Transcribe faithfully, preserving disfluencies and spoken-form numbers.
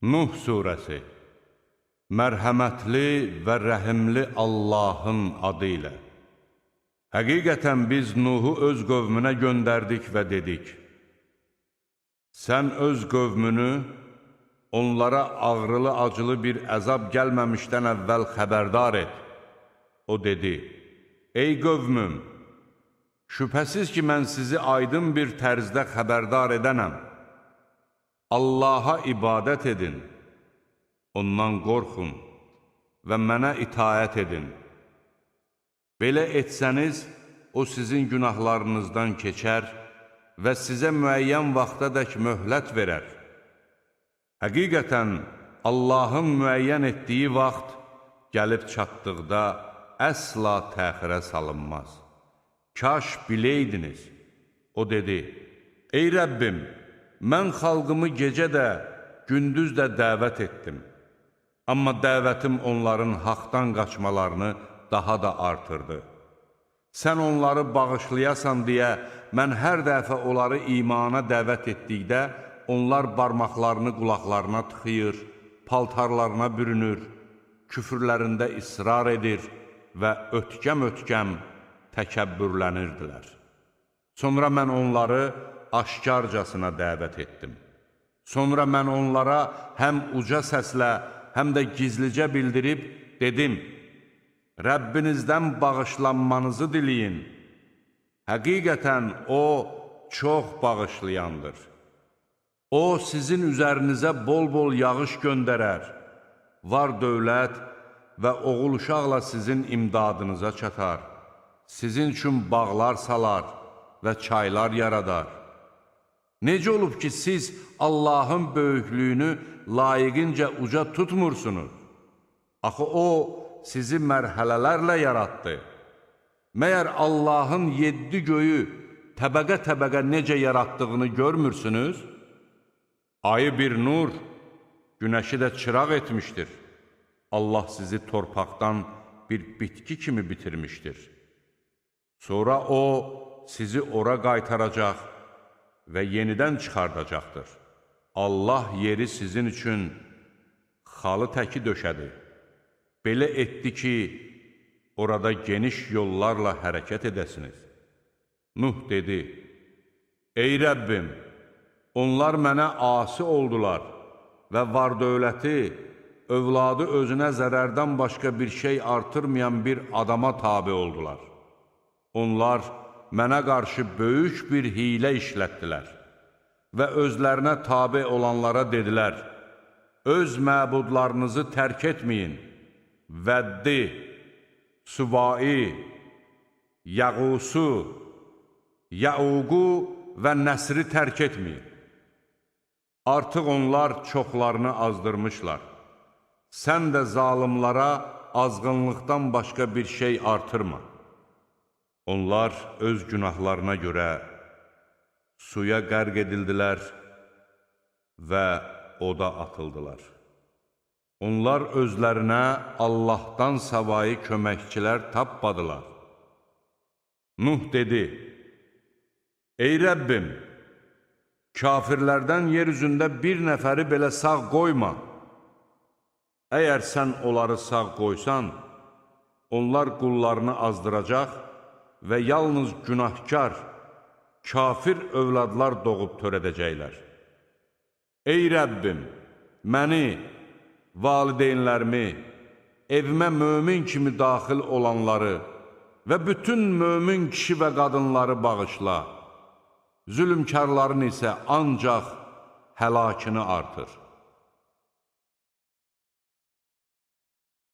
Nuh surəsi. Mərhəmətli və rəhimli Allahın adı ilə. Həqiqətən biz Nuhu öz qövmünə göndərdik və dedik: Sən öz qövmünü onlara ağrılı-acılı bir əzab gəlməmişdən əvvəl xəbərdar et. O dedi: Ey qövmüm, şübhəsiz ki, mən sizi aydın bir tərzdə xəbərdar edənəm. Allaha ibadət edin, ondan qorxun və mənə itaət edin. Belə etsəniz, o sizin günahlarınızdan keçər və sizə müəyyən vaxtadək möhlət verər. Həqiqətən, Allahın müəyyən etdiyi vaxt gəlib çatdıqda əsla təxirə salınmaz. Kaş biləydiniz. O dedi: Ey Rəbbim, mən xalqımı gecə də, gündüz də dəvət etdim. Amma dəvətim onların haqdan qaçmalarını daha da artırdı. Sən onları bağışlayasan deyə, mən hər dəfə onları imana dəvət etdikdə, onlar barmaqlarını qulaqlarına tıxıyır, paltarlarına bürünür, küfürlərində israr edir və ötkəm-ötkəm təkəbbürlənirdilər. Sonra mən onları aşkarcasına dəvət etdim. Sonra mən onlara həm uca səslə, həm də gizlicə bildirib dedim: Rəbbinizdən bağışlanmanızı diləyin. Həqiqətən O çox bağışlayandır. O sizin üzərinizə bol-bol yağış göndərər, var dövlət və oğul uşaqla sizin imdadınıza çatar, sizin üçün bağlar salar və çaylar yaradar. Necə olub ki, siz Allahın böyüklüyünü layiqincə uca tutmursunuz? Axı O sizi mərhələlərlə yaratdı. Məyər Allahın yeddi göyü təbəqə-təbəqə necə yaratdığını görmürsünüz? Ayı bir nur, günəşi də çıraq etmişdir. Allah sizi torpaqdan bir bitki kimi bitirmişdir. Sonra O sizi ora qaytaracaq və yenidən çıxardacaqdır. Allah yeri sizin üçün xalı təki döşədi. Belə etdi ki, orada geniş yollarla hərəkət edəsiniz. Nuh dedi: Ey Rəbbim, onlar mənə asi oldular və var-dövləti, övladı özünə zərərdən başqa bir şey artırmayan bir adama tabi oldular. Onlar mənə qarşı böyük bir hilə işlətdilər və özlərinə tabi olanlara dedilər: Öz məbudlarınızı tərk etməyin. Vəddi, Süvai, Yəğusu, Yəuqu və Nəsri tərk etməyin. Artıq onlar çoxlarını azdırmışlar. Sən də zalımlara azğınlıqdan başqa bir şey artırma. Onlar öz günahlarına görə suya qərq edildilər və oda atıldılar. Onlar özlərinə Allahdan savayı köməkçilər tapmadılar. Nuh dedi: Ey Rəbbim, kafirlərdən yer üzündə bir nəfəri belə sağ qoyma. Əgər sən onları sağ qoysan, onlar qullarını azdıracaq və yalnız günahkar, kafir övladlar doğub törədəcəklər. Ey Rəbbim, məni, valideynlərimi, evimə mömin kimi daxil olanları və bütün mömin kişi və qadınları bağışla. Zülmkarların isə ancaq həlakını artır.